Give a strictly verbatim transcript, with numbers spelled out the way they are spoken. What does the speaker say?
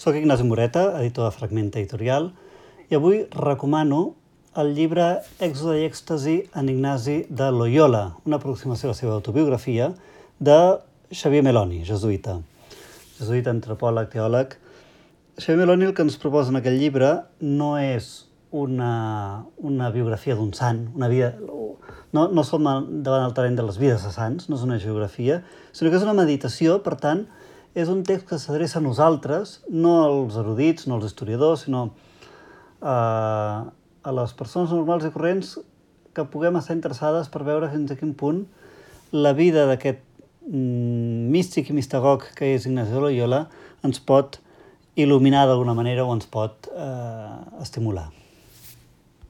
Soc Ignasi Moreta, editor de Fragmenta Editorial, i avui recomano el llibre Èxode i èxtasi en Ignasi de Loyola, una aproximació a la seva autobiografia de Xavier Meloni, jesuïta. Jesuïta, antropòleg, teòleg. Xavier Meloni el que ens proposa en aquest llibre no és una, una biografia d'un sant, una vida... No, no som davant el terreny de les vides de sants, no és una geografia, sinó que és una meditació, per tant, és un text que s'adreça a nosaltres, no als erudits, no als historiadors, sinó a, a les persones normals i corrents que puguem estar interessades per veure fins a quin punt la vida d'aquest mm, místic i mistagog que és Ignasi de Loyola ens pot il·luminar d'alguna manera o ens pot eh, estimular.